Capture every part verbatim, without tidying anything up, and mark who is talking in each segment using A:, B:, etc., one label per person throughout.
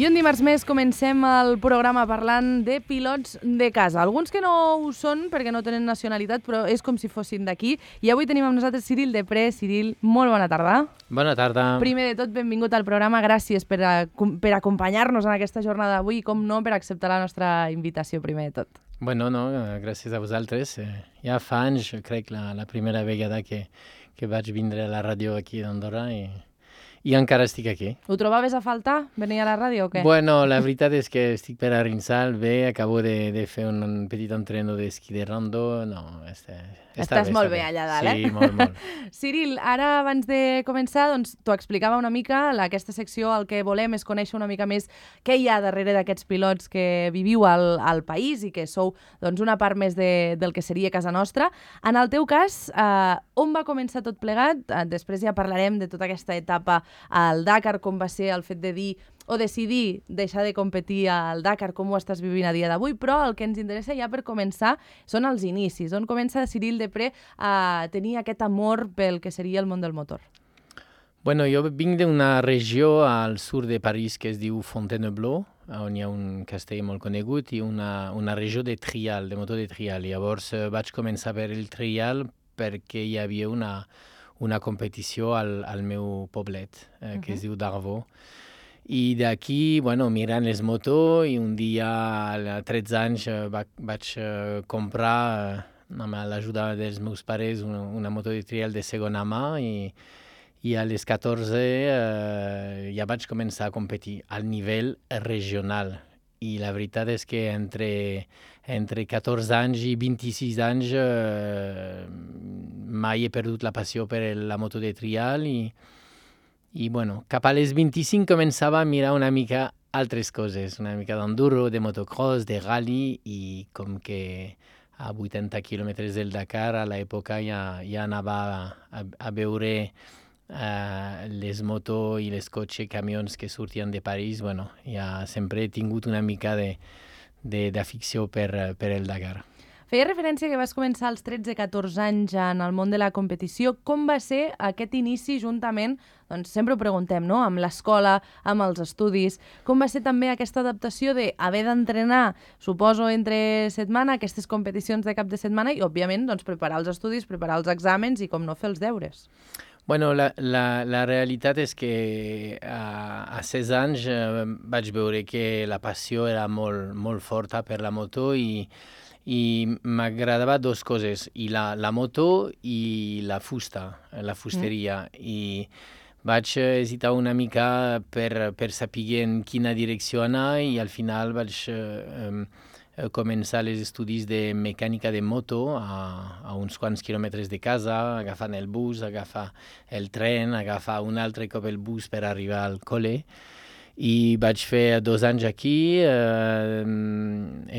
A: I un dimarts més comencem el programa parlant de pilots de casa. Alguns que no ho són perquè no tenen nacionalitat, però és com si fossin d'aquí. I avui tenim amb nosaltres Cyril Depré. Cyril, molt bona tarda.
B: Bona tarda.
A: Primer de tot, benvingut al programa. Gràcies per, a, per acompanyar-nos en aquesta jornada d'avui i, com no, per acceptar la nostra invitació, primer de tot.
B: Bueno, no, gràcies a vosaltres. Ja fa anys, crec, la, la primera vegada que, que vaig vindre a la ràdio aquí d'Andorra i... I encara estic aquí.
A: Ho trobaves a faltar, venir a la ràdio o què?
B: Bueno, la veritat és que estic per Arinsal, bé, acabo de, de fer un, un petit entreno d'esquí de rando, no, està, està
A: Estàs
B: bé,
A: molt
B: està
A: bé allà dalt,
B: sí,
A: eh?
B: molt, molt.
A: Cyril, ara abans de començar, doncs, t'ho explicava una mica, aquesta secció el que volem és conèixer una mica més què hi ha darrere d'aquests pilots que viviu al, al país i que sou doncs, una part més de, del que seria casa nostra. En el teu cas, eh, on va començar tot plegat? Eh, després ja parlarem de tota aquesta etapa al Dakar, com va ser el fet de dir o decidir deixar de competir al Dakar, com ho estàs vivint a dia d'avui, però el que ens interessa ja per començar són els inicis. On comença Cyril Depré a tenir aquest amor pel que seria el món del motor?
B: Bueno, jo vinc d'una regió al sud de París que es diu Fontainebleau, on hi ha un castell molt conegut i una, una regió de trial, de motor de trial. Llavors eh, vaig començar per el trial perquè hi havia una una competició al, al meu poblet, eh, que uh-huh. es diu Darvaux. I d'aquí, bueno, mirant les motos, i un dia, a tretze anys, va, vaig uh, comprar, uh, amb l'ajuda dels meus pares, una, una moto de trial de segona mà, i, i a les catorze uh, ja vaig començar a competir al nivell regional. I la veritat és que entre, entre catorze anys i vint-i-sis anys eh, mai he perdut la passió per la moto de trial i, i bueno, cap a les vint-i-cinc començava a mirar una mica altres coses, una mica d'enduro, de motocross, de rally i com que a vuitanta quilòmetres del Dakar a l'època ja, ja anava a, a veure Uh, les motos i les cotxes, camions que sortien de París, bueno, ja sempre he tingut una mica de, de, d'afició per, per el Dakar.
A: Feia referència que vas començar als tretze catorze anys en el món de la competició. Com va ser aquest inici juntament, doncs sempre ho preguntem, no?, amb l'escola, amb els estudis. Com va ser també aquesta adaptació d'haver d'entrenar, suposo, entre setmana, aquestes competicions de cap de setmana i, òbviament, doncs, preparar els estudis, preparar els exàmens i, com no, fer els deures?
B: Bueno, la, la, la realitat és que a, a setze anys eh, vaig veure que la passió era molt, molt forta per la moto i, i m'agradava dues coses, i la, la moto i la fusta, la fusteria. Mm. I vaig hesitar una mica per, per saber en quina direcció anar i al final vaig eh, començar els estudis de mecànica de moto a, a uns quants quilòmetres de casa, agafant el bus, agafar el tren, agafar un altre cop el bus per arribar al col·le. I vaig fer dos anys aquí, eh,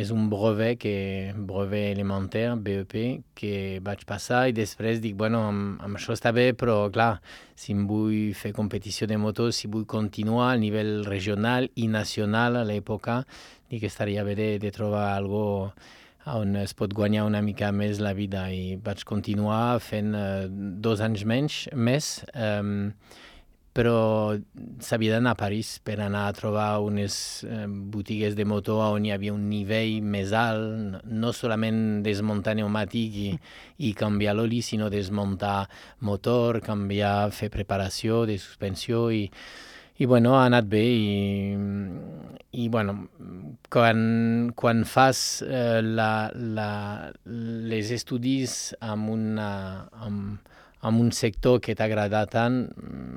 B: és un brevet, que, brevet elemental, B E P, que vaig passar i després dic, bueno, amb, amb això està bé, però clar, si em vull fer competició de moto, si vull continuar a nivell regional i nacional a l'època, dic que estaria bé de, de trobar algo on es pot guanyar una mica més la vida i vaig continuar fent uh, dos anys menys, més, um, però s'havia d'anar a París per anar a trobar unes uh, botigues de moto on hi havia un nivell més alt, no solament desmuntar pneumàtic i, i canviar l'oli, sinó desmuntar motor, canviar, fer preparació de suspensió i I bueno, ha anat bé i, i bueno, quan, quan fas eh, la, la, les estudis amb, una, amb, amb un sector que t'agrada tant,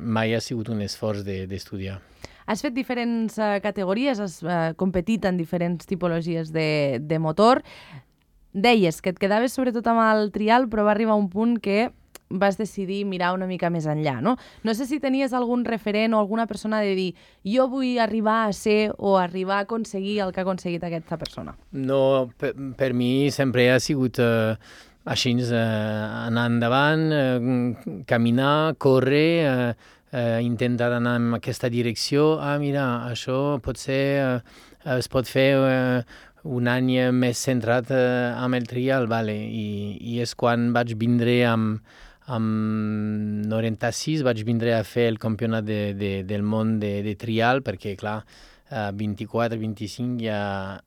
B: mai ha sigut un esforç de, d'estudiar.
A: Has fet diferents uh, categories, has uh, competit en diferents tipologies de, de motor. Deies que et quedaves sobretot amb el trial, però va arribar un punt que vas decidir mirar una mica més enllà, no? No sé si tenies algun referent o alguna persona de dir jo vull arribar a ser o arribar a aconseguir el que ha aconseguit aquesta persona.
B: No, per, per mi sempre ha sigut uh, així, uh, anar endavant, uh, caminar, córrer, uh, uh, intentar anar en aquesta direcció. Ah, mira, això pot ser uh, es pot fer uh, un any més centrat uh, amb el trial, vale. I, i és quan vaig vindre amb, amb noranta-sis, vaig vindre a fer el campionat de, de, del món de, de trial, perquè, clar, a vint-i-quatre vint-i-cinc ja,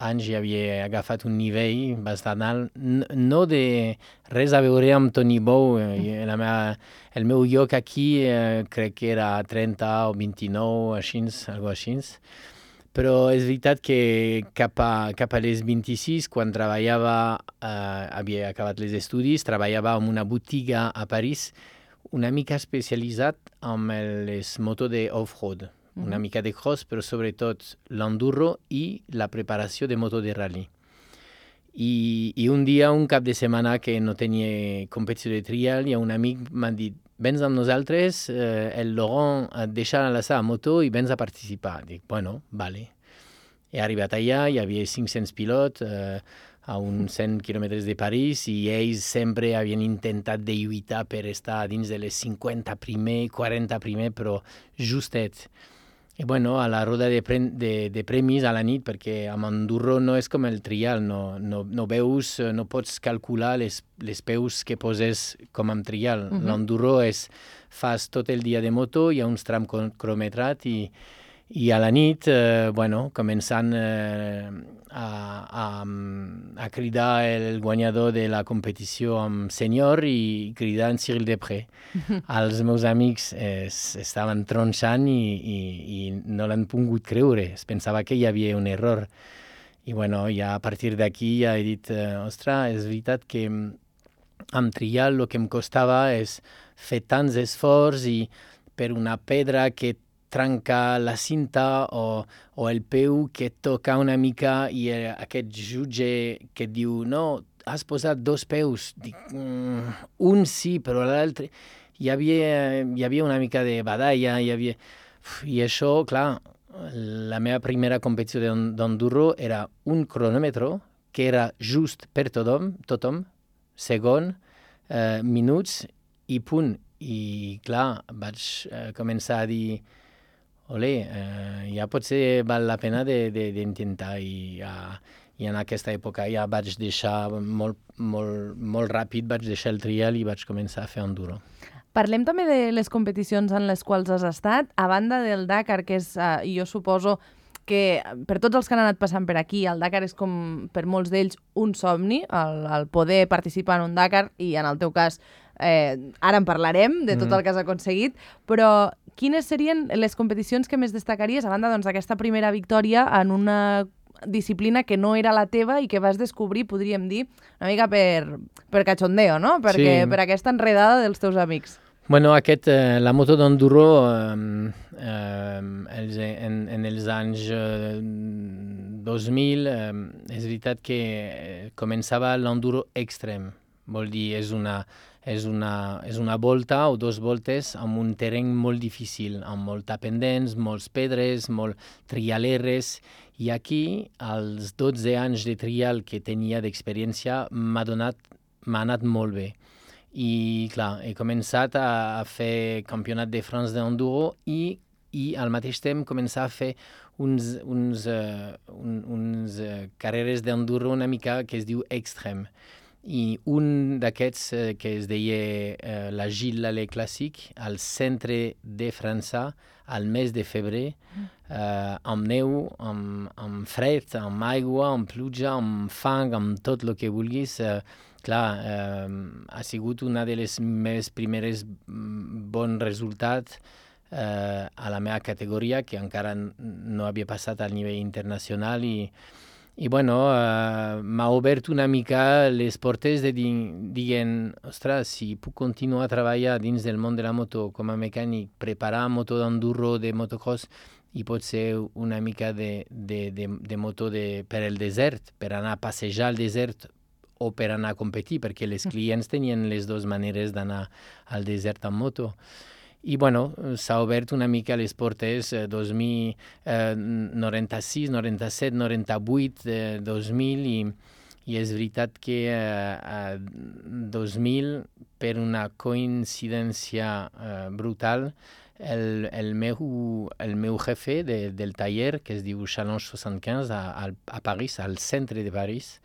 B: anys ja havia agafat un nivell bastant alt, no de res a veure amb Toni Bou. La meva, el meu lloc aquí eh, crec que era trenta o vint-i-nou, així, algo així. Però és veritat que cap a, cap a les vint-i-sis, quan treballava, eh, havia acabat els estudis, treballava en una botiga a París una mica especialitzat amb les motos d'off-road. Una mica de cross, però sobretot l'enduro i la preparació de moto de rally. I, I un dia, un cap de setmana que no tenia competició de trial, hi ha un amic m'ha dit, vens amb nosaltres, eh, el Laurent et deixa la seva moto i vens a participar. Dic, bueno, vale. He arribat allà, hi havia cinc-cents pilots eh, a uns cent quilòmetres de París i ells sempre havien intentat de lluitar per estar dins de les cinquanta primer, quaranta primer, però justet. I bueno, a la roda de, pre de, de premis a la nit, perquè amb enduro no és com el trial, no, no, no veus, no pots calcular les, les peus que poses com amb trial. Uh-huh. L'enduro és, fas tot el dia de moto, hi ha uns trams cronometrats i, i a la nit, eh, bueno, començant eh, a, a, a cridar el guanyador de la competició amb senyor i cridar en Cyril Després. Els meus amics eh, estaven tronxant i, i, i no l'han pogut creure. Es pensava que hi havia un error. I bueno, ja a partir d'aquí ja he dit, eh, ostres, és veritat que amb trial el que em costava és fer tants esforços i per una pedra que trenca la cinta o, o el peu que toca una mica i eh, aquest jutge que et diu no, has posat dos peus. Dic, mm, un sí, però l'altre... Hi havia, hi havia una mica de badalla, hi havia... Uf, i això, clar, la meva primera competició d'enduro era un cronòmetre que era just per tothom, tothom, segon, eh, minuts i punt. I, clar, vaig eh, començar a dir olé, eh, ja potser val la pena d'intentar i, uh, i en aquesta època ja vaig deixar molt, molt, molt ràpid, vaig deixar el trial i vaig començar a fer enduro.
A: Parlem també de les competicions en les quals has estat, a banda del Dakar, que és, uh, jo suposo que per tots els que han anat passant per aquí, el Dakar és com per molts d'ells un somni, el, el poder participar en un Dakar, i en el teu cas, eh, ara en parlarem de tot mm. el que has aconseguit, però quines serien les competicions que més destacaries, a banda doncs, d'aquesta primera victòria en una disciplina que no era la teva i que vas descobrir, podríem dir, una mica per, per cachondeo, no? Perquè, sí. Per aquesta enredada dels teus amics.
B: Bueno, aquest, eh, la moto d'enduro eh, eh, en, en els anys eh, dos mil eh, és veritat que començava l'enduro extrem. Vol dir, és una, és, una, és una volta o dos voltes amb un terreny molt difícil, amb molta pendents, molts pedres, molt trialeres. I aquí, als dotze anys de trial que tenia d'experiència, m'ha donat, m'ha anat molt bé. I, clar, he començat a, a fer campionat de France d'enduro i, i al mateix temps començar a fer uns, uns, uh, un, uns uh, carreres d'enduro una mica que es diu extrem. I un d'aquests uh, que es deia uh, la Gilles Lallet Classic, al centre de França, al mes de febrer, uh, amb neu, amb, amb fred, amb aigua, amb pluja, amb fang, amb tot el que vulguis. Uh, clar, eh, ha sigut una de les meves primeres bons resultats eh, a la meva categoria, que encara no havia passat al nivell internacional i, i bueno, eh, m'ha obert una mica les portes de dir, dient, ostres, si puc continuar a treballar dins del món de la moto com a mecànic, preparar moto d'enduro, de motocross, i pot ser una mica de, de, de, de moto de, per el desert, per anar a passejar al desert o per anar a competir, perquè els clients tenien les dues maneres d'anar al desert amb moto. I, bueno, s'ha obert una mica les portes eh, dos mil noranta-sis, noranta-set, noranta-vuit, eh, dos mil, i, i és veritat que eh, a dos mil, per una coincidència eh, brutal, el, el, meu, el meu jefe de, del taller, que es diu Challenge seixanta-quinze, a, a París, al centre de París,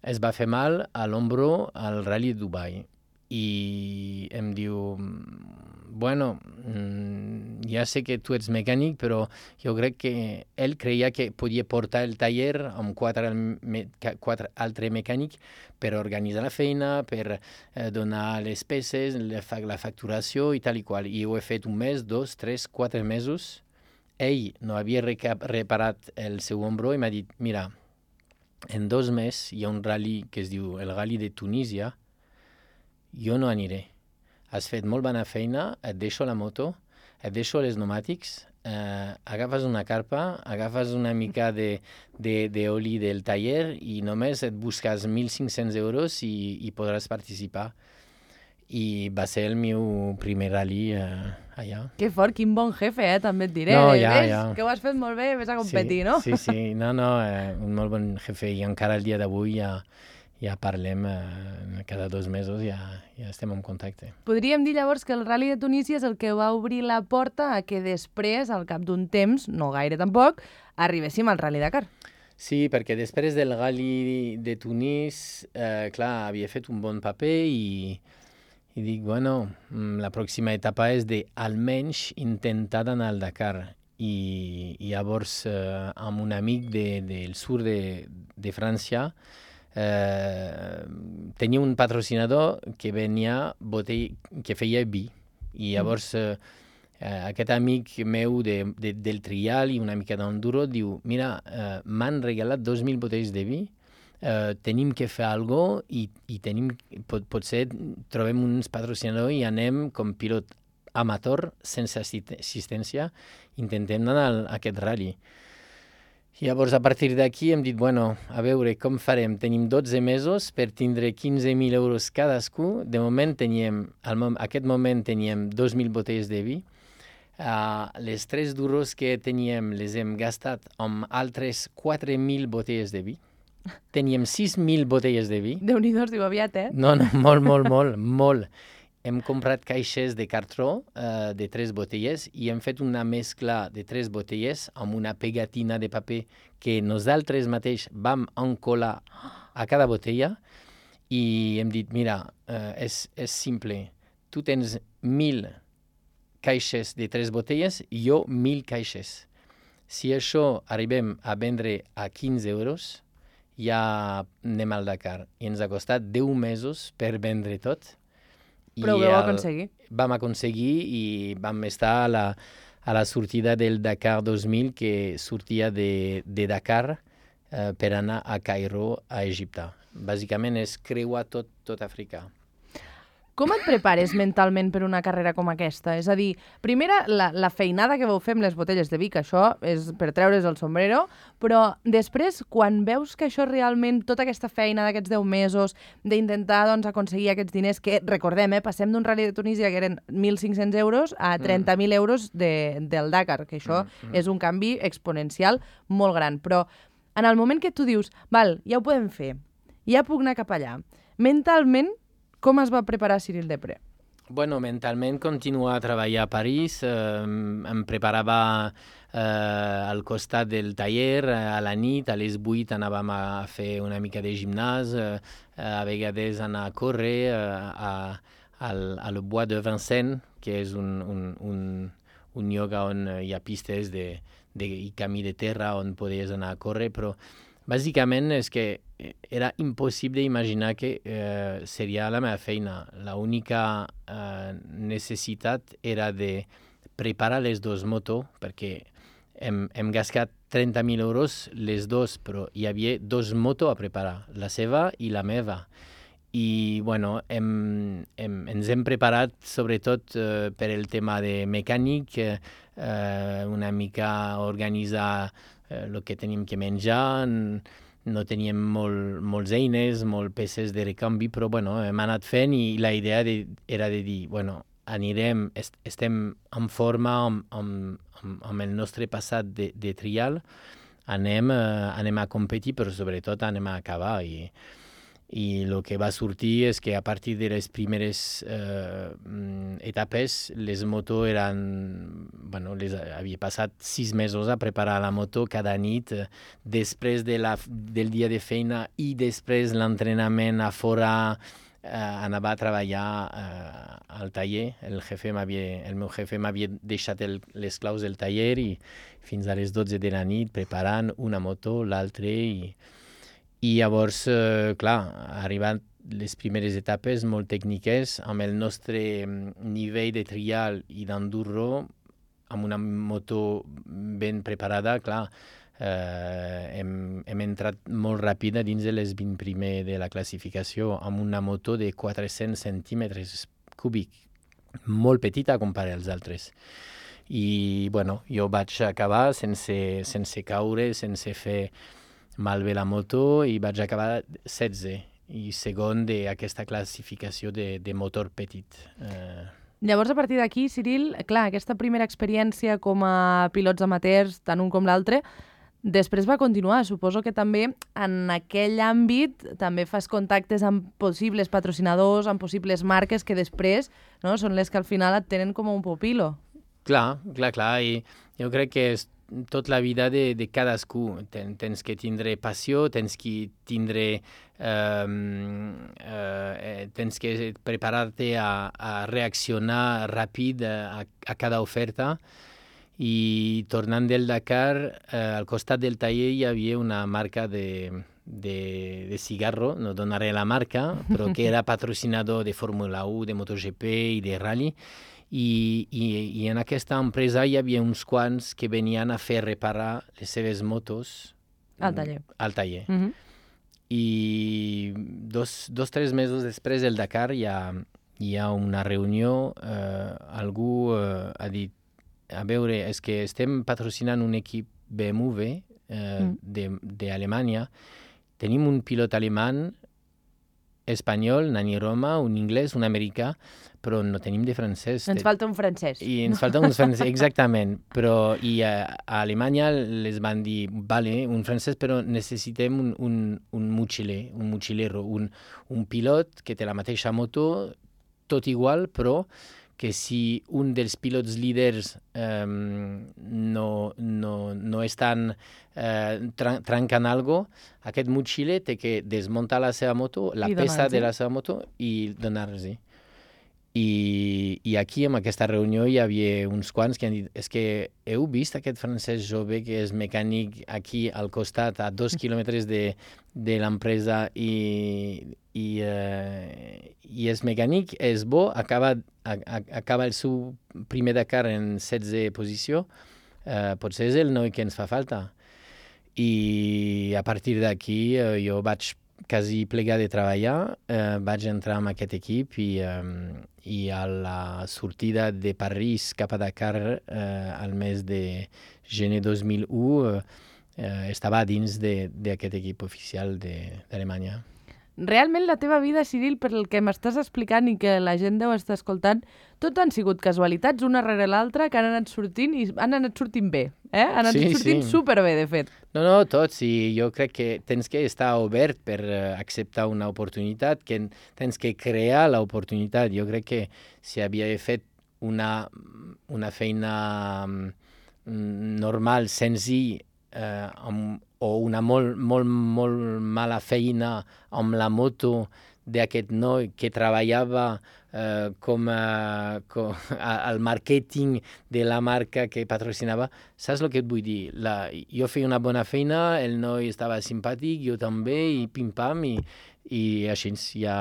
B: es va fer mal a l'ombro al Rally de Dubai. I em diu, bueno, ja sé que tu ets mecànic, però jo crec que ell creia que podia portar el taller amb quatre, me, quatre altres mecànics per organitzar la feina, per eh, donar les peces, la, la facturació i tal i qual. I ho he fet un mes, dos, tres, quatre mesos. Ell no havia reparat el seu ombro i m'ha dit, mira, en dos mesos hi ha un rally que es diu el Rally de Tunísia, jo no aniré. Has fet molt bona feina, et deixo la moto, et deixo els pneumàtics, eh, agafes una carpa, agafes una mica d'oli de, de, del taller i només et busques mil cinc-cents euros i, i podràs participar. I va ser el meu primer rally eh, allà.
A: Que fort, quin bon jefe, eh? També et diré.
B: No, ja,
A: ves
B: ja.
A: que ho has fet molt bé, ves a competir,
B: sí,
A: no?
B: Sí, sí, no, no, eh, un molt bon jefe i encara el dia d'avui ja, ja parlem, eh, cada dos mesos ja, ja estem en contacte.
A: Podríem dir llavors que el Rally de Tunísia és el que va obrir la porta a que després, al cap d'un temps, no gaire tampoc, arribéssim al Rally Dakar.
B: Sí, perquè després del Rally de Tunis, eh, clar, havia fet un bon paper i I dic, bueno, la pròxima etapa és de almenys intentar anar al Dakar. I, i llavors, eh, amb un amic de, del sud de, de França, eh, tenia un patrocinador que venia botell, que feia vi. I llavors, eh, eh, aquest amic meu de, de, del trial i una mica d'enduro diu, mira, eh, m'han regalat dos mil botells de vi, Uh, tenim que fer alguna cosa i, i tenim, pot, potser trobem uns patrocinadors i anem com pilot amateur, sense assistència, intentem anar a aquest rally. I llavors, a partir d'aquí hem dit, bueno, a veure com farem. Tenim dotze mesos per tindre quinze mil euros cadascú. De moment teníem, al aquest moment teníem dos mil botells de vi. Uh, les tres duros que teníem les hem gastat amb altres quatre mil botelles de vi. Teníem sis mil botelles de vi.
A: Déu-n'hi-do, es diu aviat, eh?
B: No, no, molt, molt, molt, molt. Hem comprat caixes de cartró uh, de tres botelles i hem fet una mescla de tres botelles amb una pegatina de paper que nosaltres mateix vam encolar a cada botella i hem dit, mira, uh, és, és simple. Tu tens mil caixes de tres botelles i jo mil caixes. Si això arribem a vendre a quinze euros, ja anem al Dakar. I ens ha costat deu mesos per vendre tot.
A: Però ho vau aconseguir.
B: Vam aconseguir i vam estar a la, a la sortida del Dakar dos mil, que sortia de, de Dakar eh, per anar a Cairo, a Egipte. Bàsicament és creuar tot, tot Àfrica.
A: Com et prepares mentalment per una carrera com aquesta? És a dir, primera, la, la feinada que vau fer amb les botelles de vi, que això és per treure's el sombrero, però després, quan veus que això realment, tota aquesta feina d'aquests deu mesos, d'intentar doncs, aconseguir aquests diners, que recordem, eh, passem d'un Rally de Tunísia que eren mil cinc-cents euros a trenta mil euros de, del Dakar, que això mm, mm. és un canvi exponencial molt gran. Però en el moment que tu dius, val, ja ho podem fer, ja puc anar cap allà, mentalment, com es va preparar Cyril Depré?
B: Bueno, mentalment continuar a treballar a París, eh, em preparava eh, al costat del taller, a la nit, a les vuit anàvem a fer una mica de gimnàs, eh, a vegades anar a córrer eh, a, al, al Bois de Vincennes, que és un, un, un, un lloc on hi ha pistes de, de, i camí de terra on podies anar a córrer, però bàsicament és que era impossible imaginar que eh, seria la meva feina. L'única eh, necessitat era de preparar les dues motos, perquè hem, hem gastat trenta mil euros les dues, però hi havia dues motos a preparar, la seva i la meva. I bueno, hem, hem, ens hem preparat sobretot eh, per el tema de mecànic, eh, una mica organitzar el que tenim que menjar, no teníem molt, molts eines, molt peces de recanvi, però bueno, hem anat fent i la idea de, era de dir, bueno, anirem, est estem en forma amb, amb, amb el nostre passat de, de trial, anem, eh, anem a competir, però sobretot anem a acabar. I, I el que va sortir és que a partir de les primeres eh, etapes les motos eren... Bueno, les havia passat sis mesos a preparar la moto cada nit, eh, després de la, del dia de feina i després l'entrenament a fora. Uh, anava a treballar uh, al taller. El, jefe el meu jefe m'havia deixat el, les claus del taller i fins a les dotze de la nit preparant una moto, l'altra, i, i llavors, uh, clar, arribant les primeres etapes molt tècniques, amb el nostre nivell de trial i d'enduro, amb una moto ben preparada, clar, Uh, hem, hem entrat molt ràpid dins de les vint primer de la classificació amb una moto de quatre-cents centímetres cúbics, molt petita a comparar als altres. I bueno, jo vaig acabar sense, sense caure, sense fer malbé la moto, i vaig acabar setze i segon d'aquesta classificació de, de motor petit. Uh,
A: Llavors, a partir d'aquí, Cyril, clar, aquesta primera experiència com a pilots amateurs, tant un com l'altre, després va continuar. Suposo que també en aquell àmbit també fas contactes amb possibles patrocinadors, amb possibles marques que després, no, són les que al final et tenen com un pupilo.
B: Clar, clar, clar. I jo crec que és tot la vida de, de cadascú. Ten, tens que tindre passió, tens que tindre... Um, uh, tens que preparar-te a, a reaccionar ràpid a, a cada oferta. I tornant del Dakar, eh, al costat del taller hi havia una marca de, de, de cigarro, no donaré la marca, però que era patrocinador de Fórmula u, de MotoGP i de Rally. I, i, i en aquesta empresa hi havia uns quants que venien a fer reparar les seves motos
A: al taller.
B: Al taller.
A: Uh-huh.
B: I dos, dos tres mesos després del Dakar hi ha, hi ha una reunió, eh, algú eh, ha dit: a veure, és que estem patrocinant un equip B M W eh, mm. d'Alemanya. Tenim un pilot alemany, espanyol, Nani Roma, un anglès, un americà, però no tenim de francès.
A: Ens falta un francès.
B: I ens falta un francès, exactament. Però i a, a Alemanya les van dir, vale, un francès, però necessitem un, un, un mochiler, un mochilero, un, un pilot que té la mateixa moto, tot igual, però que si un dels pilots líders um, no, no, no estan uh, tran trencant alguna cosa, aquest motxiller té que desmuntar la seva moto, la
A: I
B: peça de la seva moto, i donar-los. I, I aquí, en aquesta reunió, hi havia uns quants que han dit: és que heu vist aquest francès jove que és mecànic aquí al costat, a dos quilòmetres de, de l'empresa, i, i, uh, i és mecànic, és bo, acaba, a, a, acaba el seu primer Dakar en setze posició, uh, potser és el noi que ens fa falta. I a partir d'aquí uh, jo vaig quasi plegar de treballar, eh, vaig entrar en aquest equip i, eh, i a la sortida de París cap a Dakar eh, al mes de gener dos mil u eh, estava dins d'aquest equip oficial d'Alemanya.
A: Realment la teva vida, Cyril, per el que m'estàs explicant i que la gent deu estar escoltant, tot han sigut casualitats una rere l'altra que han anat sortint i han anat sortint bé. Eh? Han anat
B: sí,
A: sortint
B: sí.
A: superbé, de fet.
B: No, no, tots. I jo crec que tens que estar obert per uh, acceptar una oportunitat, que tens que crear l'oportunitat. Jo crec que si havia fet una, una feina um, normal, senzill, uh, amb o una molt, molt, molt mala feina amb la moto d'aquest noi que treballava eh, com, a, com a, al màrqueting de la marca que patrocinava. Saps el que et vull dir? La, jo feia una bona feina, el noi estava simpàtic, jo també, i pim-pam, i, i així ja...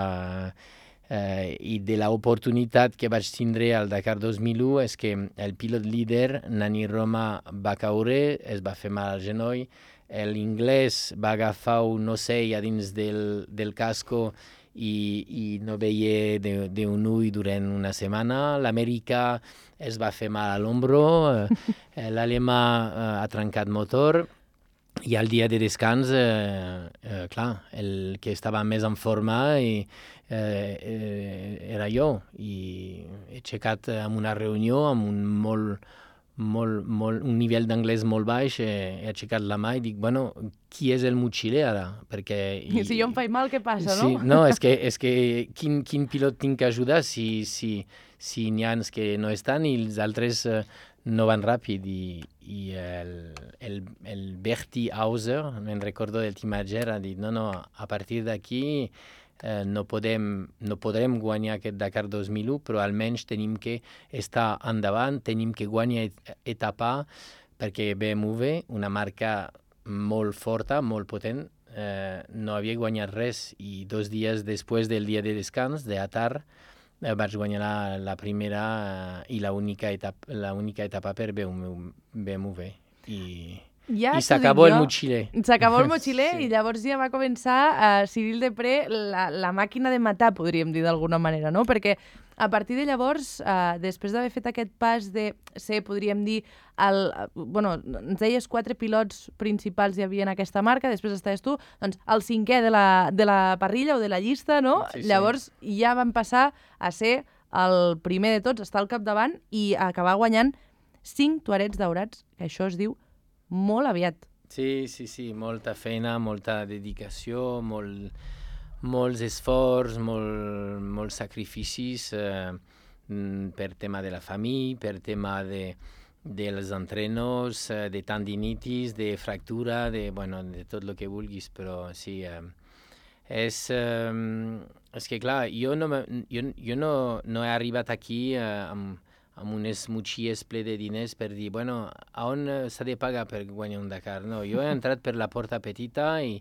B: Eh, I de l'oportunitat que vaig tindre al Dakar dos mil u és que el pilot líder, Nani Roma, va caure, es va fer mal al genoll. L'inglès va agafar un ocell a dins del, del casco i, i no veia d'un ull durant una setmana. L'americà es va fer mal a l'ombro, eh, l'alemà eh, ha trencat motor, i al dia de descans, eh, eh, clar, el que estava més en forma i, eh, eh, era jo. I he aixecat amb una reunió amb un molt molt, molt, un nivell d'anglès molt baix, he, he aixecat la mà i dic, bueno, qui és el motxiler ara? Perquè...
A: I, I si jo em faig mal, què passa,
B: sí,
A: no?
B: No, és que, és que quin, quin pilot tinc que ajudar si, si, si n'hi ha que no estan i els altres uh, no van ràpid. I, i el, el, el Bertie Hauser, me'n recordo del Timager, ha dit, no, no, a partir d'aquí Eh, no, podem, no podrem guanyar aquest Dakar dos mil u, però almenys tenim que estar endavant, tenim que guanyar et etapa, perquè B M W, una marca molt forta, molt potent, eh, no havia guanyat res i dos dies després del dia de descans, d'Atar, eh, vaig guanyar la, la primera eh, i l'única etapa, l'única etapa per B M W. I...
A: Ja
B: I s'acabó el motxiler.
A: S'acabó el motxiler
B: sí.
A: I llavors ja va començar uh, Cyril Depré, la, la màquina de matar, podríem dir d'alguna manera, no? Perquè a partir de llavors, uh, després d'haver fet aquest pas de ser, podríem dir, el, uh, bueno, ens deies quatre pilots principals hi havia en aquesta marca, després estaves tu, doncs el cinquè de la, de la parrilla o de la llista, no?
B: Sí, sí.
A: Llavors ja van passar a ser el primer de tots, estar al capdavant i acabar guanyant cinc Tuarets daurats, que això es diu molt aviat.
B: Sí, sí, sí, molta feina, molta dedicació, molt, molts esforços, molt, molts sacrificis eh, per tema de la família, per tema de, dels entrenos, eh, de tendinitis, de fractura, de, bueno, de tot el que vulguis, però sí, eh, és, eh, és que clar, jo no, jo, jo no, no he arribat aquí eh, amb amb unes motxilles ple de diners per dir, bueno, a on s'ha de pagar per guanyar un Dakar? No, jo he entrat per la porta petita i,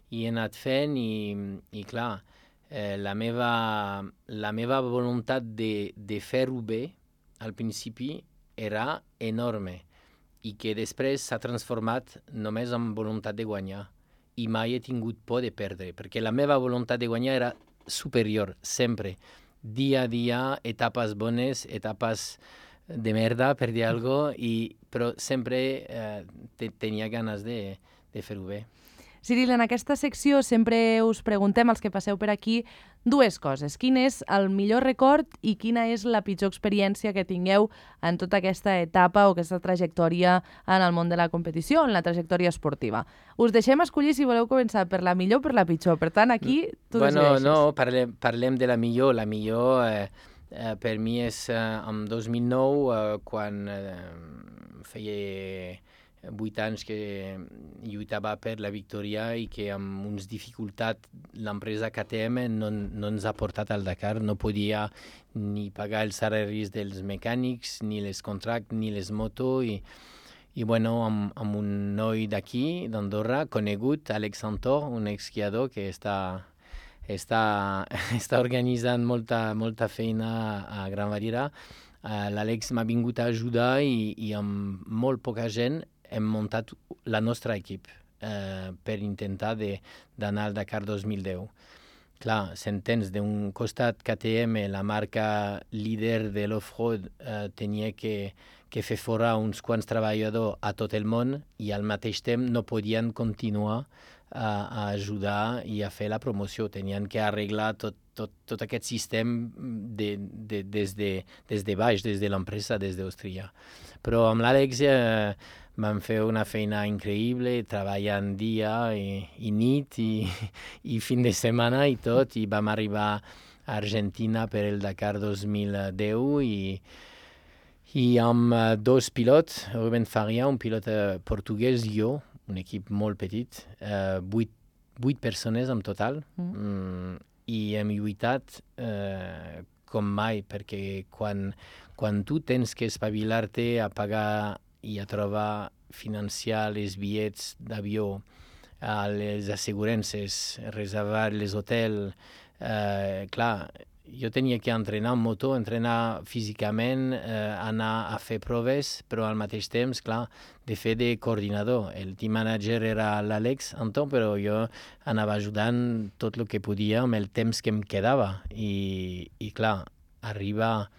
B: i he anat fent i, i clar, eh, la, meva, la meva voluntat de, de fer-ho bé al principi era enorme i que després s'ha transformat només en voluntat de guanyar i mai he tingut por de perdre, perquè la meva voluntat de guanyar era superior, sempre. Dia a dia, etapes bones, etapes de merda, per dir alguna cosa, i, però sempre eh, te, tenia ganes de, de fer-ho bé.
A: Cyril, en aquesta secció sempre us preguntem, als que passeu per aquí, dues coses. Quin és el millor record i quina és la pitjor experiència que tingueu en tota aquesta etapa o aquesta trajectòria en el món de la competició, en la trajectòria esportiva? Us deixem escollir si voleu començar per la millor o per la pitjor. Per tant, aquí tu
B: bueno,
A: decideixes.
B: No, parlem, parlem de la millor. La millor eh, eh, per mi és eh, en dos mil nou, eh, quan eh, feia vuit anys que lluitava per la victòria i que amb uns dificultats l'empresa K T M no, no ens ha portat al Dakar, no podia ni pagar els salaris dels mecànics, ni les contractes, ni les motos i, i bueno, amb, amb un noi d'aquí, d'Andorra, conegut, Alex Santor, un esquiador que està, està, està organitzant molta, molta feina a Gran Valira. Uh, L'Àlex m'ha vingut a ajudar i, i amb molt poca gent hem muntat la nostra equip eh, per intentar d'anar al Dakar dos mil deu. Clar, s'entens, d'un costat K T M, la marca líder de l'off-road, eh, tenia que, que fer fora uns quants treballadors a tot el món i al mateix temps no podien continuar a, a ajudar i a fer la promoció. Tenien que arreglar tot, tot, tot aquest sistema de, de, des, de, des de baix, des de l'empresa, des d'Àustria. Però amb l'Àlex eh, vam fer una feina increïble, treballant dia i, i nit i, i fin de setmana i tot, i vam arribar a Argentina per el Dakar dos mil deu i, i amb uh, dos pilots, Rubén Faria, un pilot uh, portuguès, jo, un equip molt petit, uh, vuit, vuit persones en total, mm. Mm, i hem lluitat uh, com mai, perquè quan, quan tu tens que espavilar-te a pagar i a trobar, financiar les bitllets d'avió, les assegurances, reservar les hotels, eh, clar, jo tenia que entrenar en moto, entrenar físicament, eh, anar a fer proves, però al mateix temps, clar, de fer de coordinador. El team manager era l'Àlex Anton, però jo anava ajudant tot el que podia amb el temps que em quedava. I, i clar, arribar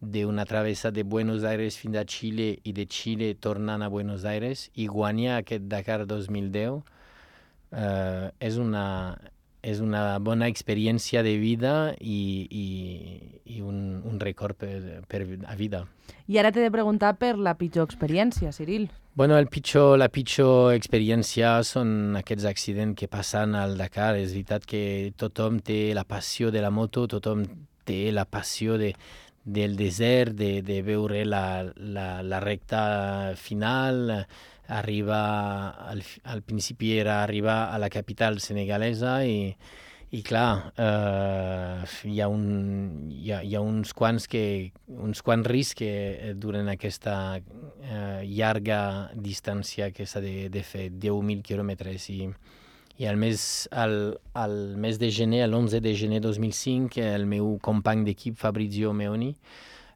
B: d'una travessa de Buenos Aires fins a Xile i de Xile tornant a Buenos Aires i guanyar aquest Dakar dos mil deu eh, és una, és una bona experiència de vida i, i, i un, un record per, per a vida.
A: I ara t'he de preguntar per la pitjor experiència, Cyril.
B: Bueno, el pitjor, la pitjor experiència són aquests accidents que passen al Dakar. És veritat que tothom té la passió de la moto, tothom té la passió de, del desert, de, de veure la, la, la recta final, arribar, al, al principi era arribar a la capital senegalesa i, i clar, eh, hi, ha un, hi, ha, hi ha uns quants, que, uns quants riscs que duren aquesta eh, llarga distància que s'ha de, de fer, deu mil quilòmetres. I, i al mes, al, al mes de gener, l'onze de gener dos mil cinc, el meu company d'equip, Fabrizio Meoni,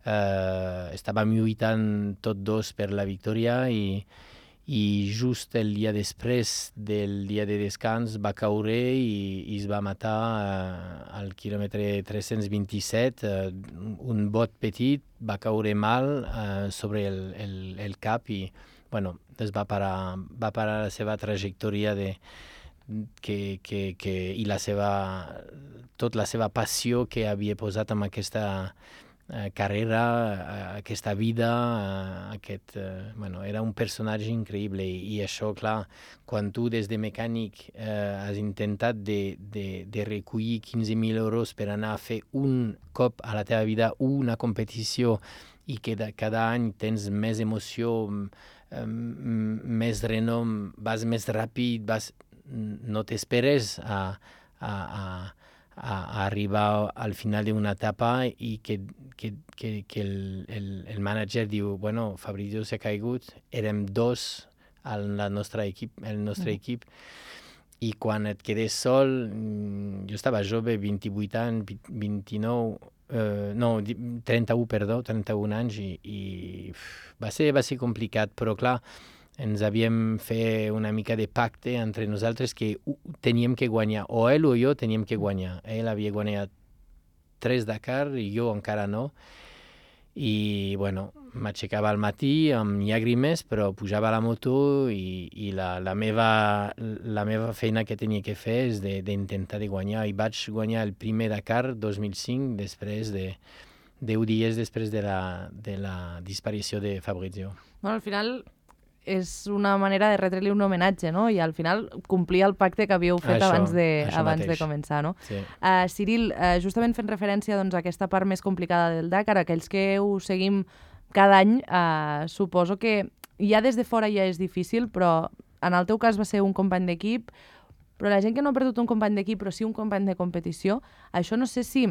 B: eh, estàvem lluitant tots dos per la victòria i i just el dia després del dia de descans va caure i, i es va matar uh, al quilòmetre tres-cents vint-i-set. Uh, un bot petit va caure mal uh, sobre el, el, el cap i bueno, es va parar, va parar la seva trajectòria de, que, que, que, i la seva, tot la seva passió que havia posat en aquesta Uh, carrera, uh, aquesta vida, uh, aquest, uh, bueno, era un personatge increïble i, i això, clar, quan tu des de mecànic uh, has intentat de, de, de recollir quinze mil euros per anar a fer un cop a la teva vida una competició i que de, cada any tens més emoció, um, més renom, vas més ràpid, vas, no t'esperes a, a, a a arribar al final d'una etapa i que, que, que, que el, el, el manager diu, bueno, Fabrizio s'ha caigut, érem dos al nostre equip, el nostre mm. equip, i quan et quedes sol, jo estava jove, vint-i-vuit anys, vint-i-nou, eh, no, trenta-u, perdó, trenta-un anys, i, i va ser, va ser complicat, però clar, ens havíem fet una mica de pacte entre nosaltres que teníem que guanyar, o ell o jo teníem que guanyar. Ell havia guanyat tres Dakar i jo encara no. I, bueno, m'aixecava al matí amb llàgrimes, però pujava a la moto i, i la, la, meva, la meva feina que tenia que fer és d'intentar de, de guanyar. I vaig guanyar el primer Dakar dos mil cinc, després de deu dies després de la, de la disparició de Fabrizio.
A: Bueno, al final és una manera de retre-li un homenatge, no? I al final complir el pacte que havíeu fet això, abans, de, abans de començar, no?
B: Sí.
A: Uh, Cyril, uh, justament fent referència doncs, a aquesta part més complicada del Dakar, aquells que ho seguim cada any, uh, suposo que ja des de fora ja és difícil, però en el teu cas va ser un company d'equip, però la gent que no ha perdut un company d'equip, però sí un company de competició, això no sé si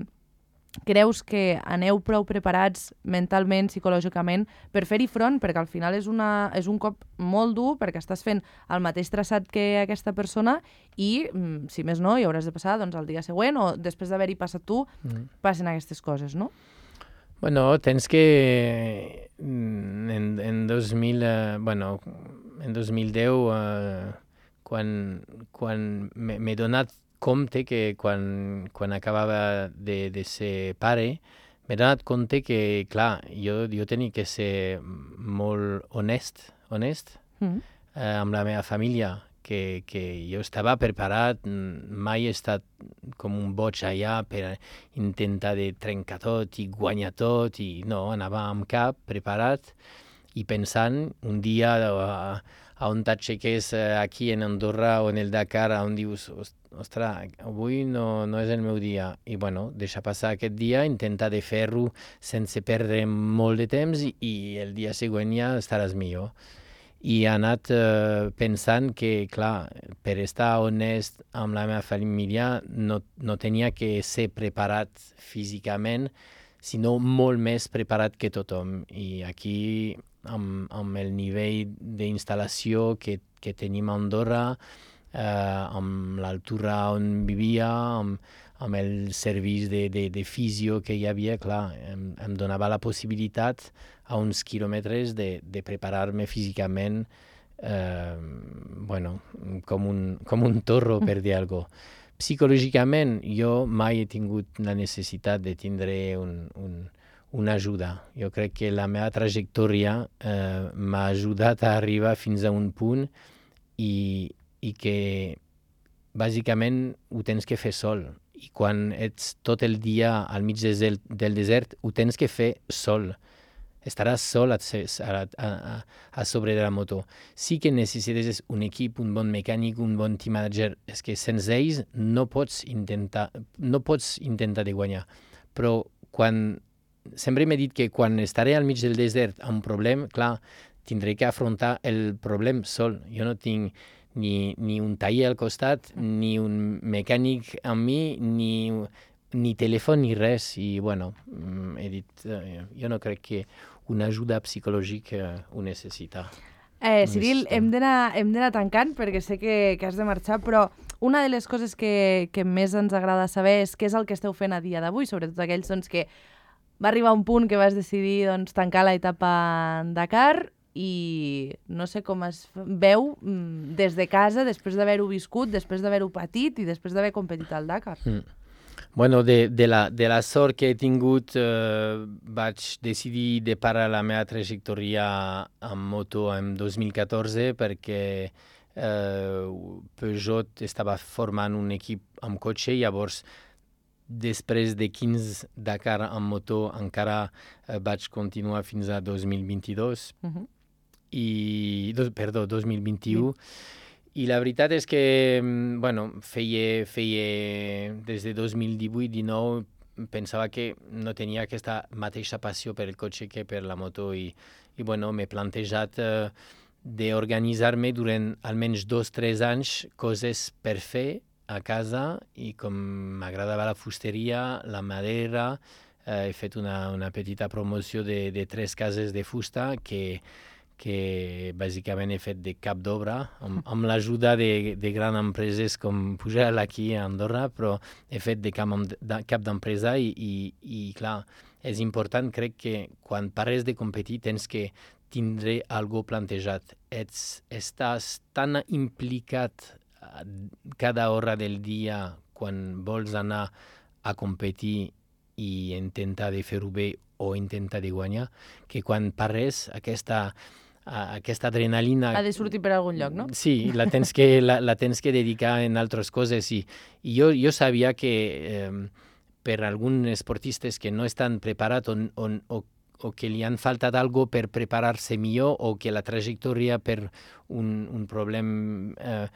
A: creus que aneu prou preparats mentalment, psicològicament, per fer-hi front, perquè al final és, una, és un cop molt dur, perquè estàs fent el mateix traçat que aquesta persona i, si més no, hi hauràs de passar doncs, el dia següent o després d'haver-hi passat tu, mm. passen aquestes coses, no?
B: Bueno, tens que en, en dos mil, eh, bueno, en dos mil deu, eh, quan, quan m'he donat compte que quan, quan acabava de, de ser pare, m'he donat compte que, clar, jo, jo tenia que ser molt honest, honest mm. eh, amb la meva família, que, que jo estava preparat, mai he estat com un boig allà per intentar de trencar tot i guanyar tot, i no, anava amb cap, preparat, i pensant un dia a, a on t'aixeques aquí en Andorra o en el Dakar, on dius, ostres, avui no, no és el meu dia. I bueno, deixar passar aquest dia, intentar de fer-ho sense perdre molt de temps i, i el dia següent ja estaràs millor. I he anat eh, pensant que, clar, per estar honest amb la meva família no, no tenia que ser preparat físicament, sinó molt més preparat que tothom. I aquí, amb, amb el nivell d'instal·lació que, que tenim a Andorra, eh, amb l'altura on vivia, amb, amb el servei de, de, de fisio que hi havia, clar, em, em donava la possibilitat a uns quilòmetres de, de preparar-me físicament eh, bueno, com un, com un torro, per dir alguna cosa. Psicològicament, jo mai he tingut la necessitat de tindre un, un, una ajuda. Jo crec que la meva trajectòria eh, m'ha ajudat a arribar fins a un punt i, i que bàsicament ho tens que fer sol. I quan ets tot el dia al mig del, del desert, ho tens que fer sol. Estaràs sol a, a, a, a sobre de la moto. Sí que necessites un equip, un bon mecànic, un bon team manager. És que sense ells no pots intentar, no pots intentar de guanyar. Però quan... Sempre m'he dit que quan estaré al mig del desert amb un problema, clar, tindré que afrontar el problema sol. Jo no tinc ni, ni un taller al costat, ni un mecànic amb mi, ni, ni telèfon, ni res. I, bueno, he dit, eh, jo no crec que una ajuda psicològica ho necessita.
A: Eh, Cyril, hem d'anar hem d'anar tancant perquè sé que, que has de marxar, però una de les coses que, que més ens agrada saber és què és el que esteu fent a dia d'avui, sobretot aquells doncs, que va arribar un punt que vas decidir doncs, tancar l'etapa en Dakar i no sé com es veu des de casa, després d'haver-ho viscut, després d'haver-ho patit i després d'haver competit al Dakar.
B: Mm. Bueno, de, de, la, de la sort que he tingut, eh, vaig decidir de parar la meva trajectòria amb moto en dos mil catorze perquè eh, Peugeot estava formant un equip amb cotxe, llavors després de quinze Dakar amb moto encara eh, vaig continuar fins a dos mil vint-i-dos. Uh-huh. I, dos, perdó, dos mil vint-i-u. Sí. I la veritat és que, bueno, feia, feia des de dos mil divuit dinou pensava que no tenia aquesta mateixa passió per el cotxe que per la moto i, i bueno, m'he plantejat eh, d'organitzar-me durant almenys dos o tres anys coses per fer a casa i com m'agradava la fusteria, la madera, eh, he fet una, una petita promoció de, de tres cases de fusta que que bàsicament he fet de cap d'obra, amb, amb l'ajuda de, de grans empreses com Pujal aquí a Andorra, però he fet de cap, de cap d'empresa i, i, i, clar, és important, crec que quan pares de competir tens que tindre algo plantejat. Ets, estàs tan implicat cada hora del dia quan vols anar a competir i intentar de fer-ho bé o intentar de guanyar, que quan pares aquesta aquesta adrenalina...
A: Ha de sortir per algun lloc, no?
B: Sí, la tens que, la, la tens que dedicar en altres coses. I, i jo, jo sabia que eh, per alguns esportistes que no estan preparats o, o, o, o que li han faltat algo per preparar-se millor o que la trajectòria per un, un problema eh,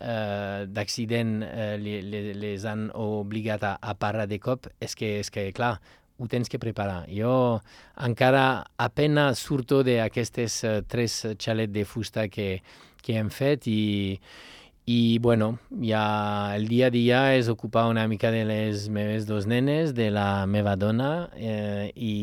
B: eh, d'accident eh, les, les han obligat a, a parar de cop, és que, és que clar, ho tens que preparar. Jo encara apenas surto d'aquestes uh, tres xalets de fusta que, que hem fet i, i bueno, ja el dia a dia és ocupar una mica de les meves dos nenes, de la meva dona eh, i,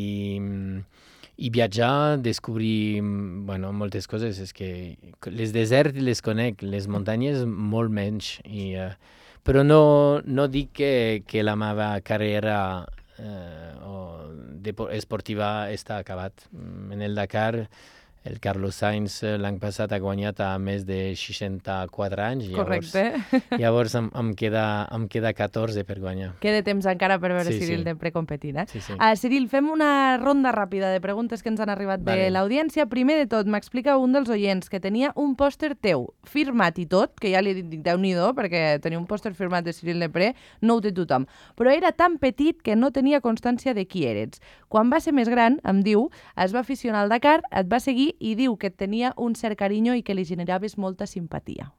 B: i viatjar, descobrir bueno, moltes coses. És que les deserts les conec, les muntanyes molt menys. I, uh, però no, no dic que, que la meva carrera Eh, o de, esportiva està acabat. En el Dakar, el Carlos Sainz l'any passat ha guanyat a més de seixanta-quatre anys.
A: Correcte.
B: Llavors, llavors em, em, queda, em queda catorze per guanyar.
A: Queda temps encara per veure
B: sí,
A: Cyril
B: sí.
A: de precompetint. Eh?
B: Sí, sí.
A: Uh, Cyril, fem una ronda ràpida de preguntes que ens han arribat
B: vale.
A: de l'audiència. Primer de tot, m'explica un dels oients que tenia un pòster teu firmat i tot, que ja li dic Déu-n'hi-do, perquè tenir un pòster firmat de Cyril Depré no ho té tothom, però era tan petit que no tenia constància de qui eres. Quan va ser més gran, em diu, es va aficionar al Dakar, et va seguir i diu que et tenia un cert carinyo i que li generaves molta simpatia.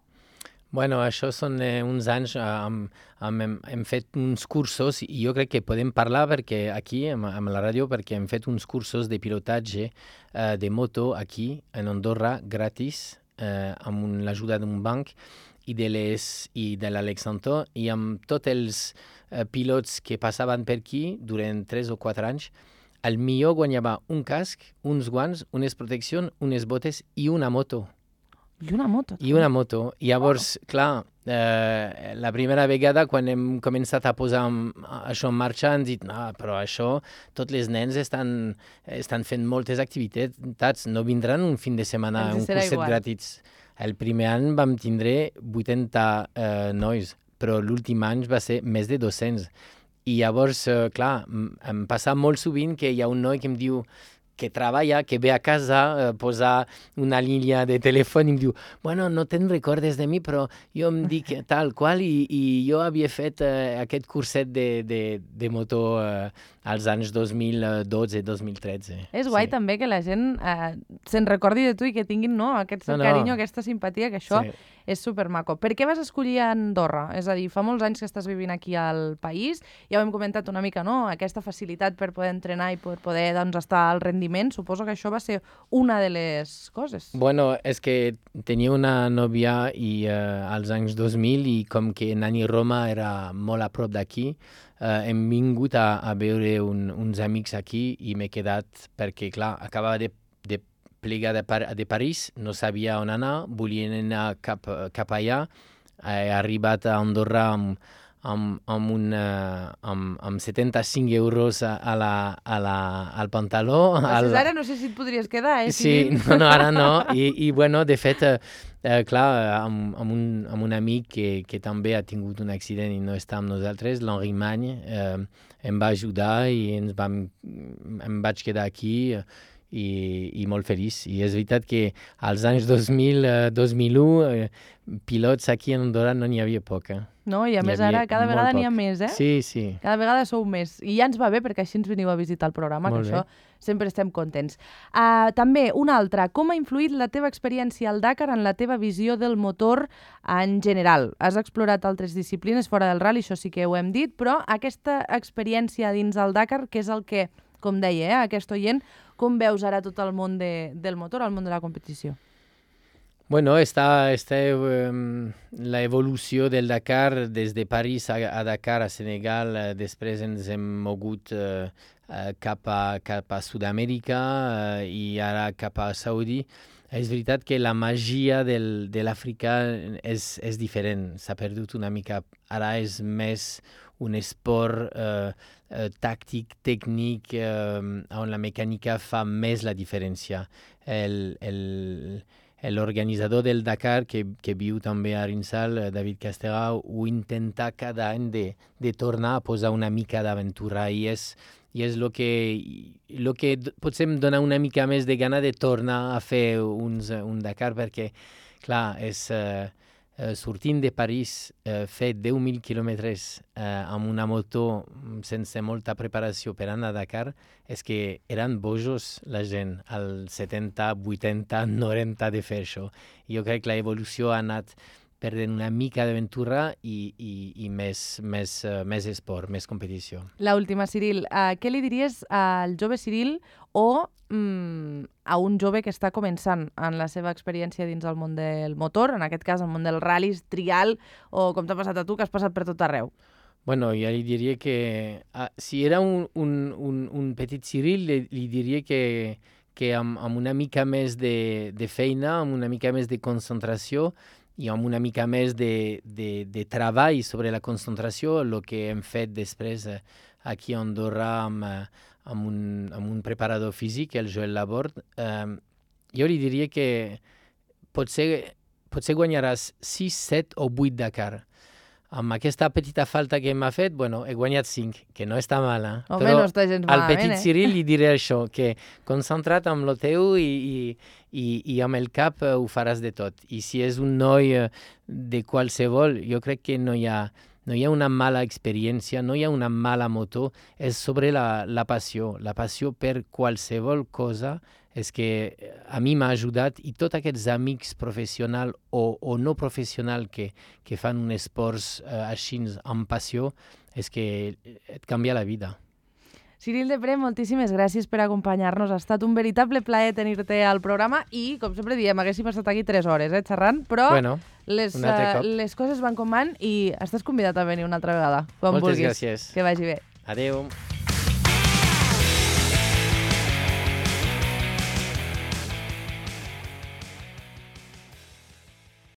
B: Bueno, això són eh, uns anys, eh, amb, amb, hem, hem fet uns cursos i jo crec que podem parlar perquè aquí, amb, amb la ràdio, perquè hem fet uns cursos de pilotatge eh, de moto aquí, en Andorra, gratis, eh, amb l'ajuda d'un banc i de les i de l'Alex Antó i amb tots els eh, pilots que passaven per aquí durant tres o quatre anys. El millor guanyava un casc, uns guants, unes proteccions, unes botes i una moto.
A: I una moto.
B: I una moto. I llavors, wow. clar, eh, la primera vegada quan hem començat a posar això en marxa hem dit, no, però això, tots els nens estan, estan fent moltes activitats, no vindran un fin de setmana, un curset gratis. El primer any vam tindre vuitanta eh, nois, però l'últim any va ser més de dos-cents. I llavors, eh, clar, em passa molt sovint que hi ha un noi que em diu que treballa, que ve a casa, eh, posa una línia de telèfon i em diu, bueno, no te'n recordes de mi, però jo em dic tal qual i, i jo havia fet eh, aquest curset de, de, de moto eh, als anys dos mil dotze dos mil tretze.
A: És guai
B: sí.
A: també que la gent eh, se'n recordi de tu i que tinguin no, aquest
B: No, no.
A: carinyo, aquesta simpatia, que això
B: Sí.
A: és supermaco. Per què vas escollir Andorra? És a dir, fa molts anys que estàs vivint aquí al país, ja ho hem comentat una mica, no? Aquesta facilitat per poder entrenar i per poder doncs, estar al rendiment, suposo que això va ser una de les coses.
B: Bueno, és que tenia una nòvia i, eh, als anys dos mil i com que Nani Roma era molt a prop d'aquí, eh, hem vingut a, a veure un, uns amics aquí i m'he quedat perquè, clar, acabava de, de plegar de, Par de París, no sabia on anar, volia anar cap, cap allà, he arribat a Andorra amb, amb, amb, un, uh, amb, amb setanta-cinc euros a, a la, a la, al pantaló.
A: Al... Ara no sé si et podries quedar, eh?
B: Sí, no, no, ara no. I, i bueno, de fet, eh, eh, clar, amb, amb, un, amb un amic que, que també ha tingut un accident i no està amb nosaltres, l'Henri Magne, eh, em va ajudar i ens vam, em vaig quedar aquí eh, i, i molt feliç. I és veritat que als anys dos mil, eh, dos mil u, eh, pilots aquí en Andorra no n'hi havia poc. Eh?
A: No, i a més ara cada vegada n'hi ha més, eh?
B: Sí, sí.
A: Cada vegada sou més. I ja ens va bé perquè així ens veniu a visitar el programa,
B: molt
A: que
B: bé.
A: això sempre estem contents. Uh, també, una altra, com ha influït la teva experiència al Dakar en la teva visió del motor en general? Has explorat altres disciplines fora del rally, això sí que ho hem dit, però aquesta experiència dins el Dakar, que és el que, com deia, eh, aquest oient, com veus ara tot el món de, del motor, el món de la competició?
B: Bueno, està, està um, la evolució del Dakar des de París a, a Dakar, a Senegal, uh, després ens hem mogut uh, uh, cap a, cap a Sud-amèrica uh, i ara cap a Saudi. És veritat que la màgia del, de l'Àfrica és, és diferent, s'ha perdut una mica. Ara és més un esport uh, uh, tàctic, tècnic, uh, on la mecànica fa més la diferència. El, el, L'organitzador del Dakar, que, que viu també a Arinsal, David Castera, ho intenta cada any de, de tornar a posar una mica d'aventura i és i és el que, lo que potser em dona una mica més de gana de tornar a fer uns, un Dakar perquè, clar, és uh, uh, sortint de París, uh, fer deu mil quilòmetres uh, amb una moto sense molta preparació per anar a Dakar, és que eren bojos la gent, al setanta, vuitanta, noranta de fer això. Jo crec que l'evolució ha anat perdent una mica d'aventura i, i, i més, més, uh, més esport, més competició.
A: L'última, Cyril. Uh, què li diries al jove Cyril o mm, a un jove que està començant en la seva experiència dins el món del motor, en aquest cas el món del ral·lis, trial, o com t'ha passat a tu, que has passat per tot arreu?
B: Bueno, ja li diria que ah, si era un, un, un, un petit Cyril, li, li diria que, que amb, amb una mica més de, de feina, amb una mica més de concentració, i amb una mica més de, de, de treball sobre la concentració, el que hem fet després eh, aquí a Andorra amb, eh, amb, un, amb un preparador físic, el Joel Laborde, eh, jo li diria que potser, potser guanyaràs sis, set o vuit Dakar. Amb aquesta petita falta que m'ha fet, bueno, he guanyat cinc, que no està mal, eh?
A: Home,
B: Però
A: no està gens
B: al
A: malament,
B: petit
A: eh?
B: Cyril li diré això, que concentra't amb lo teu i, i, i, i amb el cap uh, ho faràs de tot. I si és un noi uh, de qualsevol, jo crec que no hi ha, no hi ha una mala experiència, no hi ha una mala moto, és sobre la, la passió. La passió per qualsevol cosa és que a mi m'ha ajudat i tots aquests amics professionals o, o no professionals que, que fan un esports uh, així amb passió, és que et canvia la vida.
A: Cyril Depré, moltíssimes gràcies per acompanyar-nos. Ha estat un veritable plaer tenir-te al programa i, com sempre diem, haguéssim estat aquí tres hores, eh, xerrant, però
B: bueno,
A: les, uh, les coses van com van i estàs convidat a venir una altra vegada, quan
B: Moltes
A: vulguis.
B: gràcies.
A: Que vagi bé.
B: Adéu.